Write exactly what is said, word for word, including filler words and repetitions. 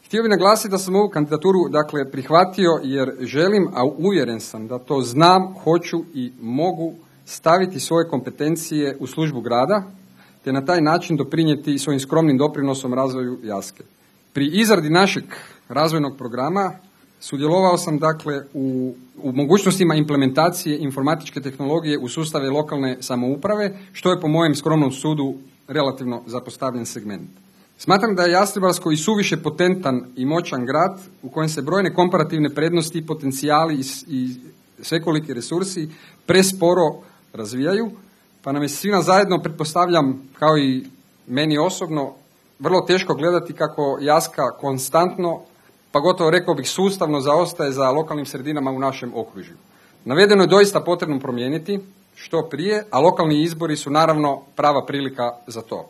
Htio bih naglasiti da sam ovu kandidaturu dakle prihvatio jer želim, a uvjeren sam da to znam, hoću i mogu staviti svoje kompetencije u službu grada, te na taj način doprinijeti svojim skromnim doprinosom razvoju Jaske. Pri izradi našeg razvojnog programa sudjelovao sam dakle u, u mogućnostima implementacije informatičke tehnologije u sustave lokalne samouprave, što je po mojem skromnom sudu relativno zapostavljen segment. Smatram da je Jastrebarsko i suviše potentan i moćan grad u kojem se brojne komparativne prednosti, potencijali i, i svekoliki resursi presporo razvijaju, pa nam je svima zajedno, pretpostavljam, kao i meni osobno, vrlo teško gledati kako Jaska konstantno, pa gotovo rekao bih sustavno zaostaje za lokalnim sredinama u našem okružju. Navedeno je doista potrebno promijeniti što prije, a lokalni izbori su naravno prava prilika za to.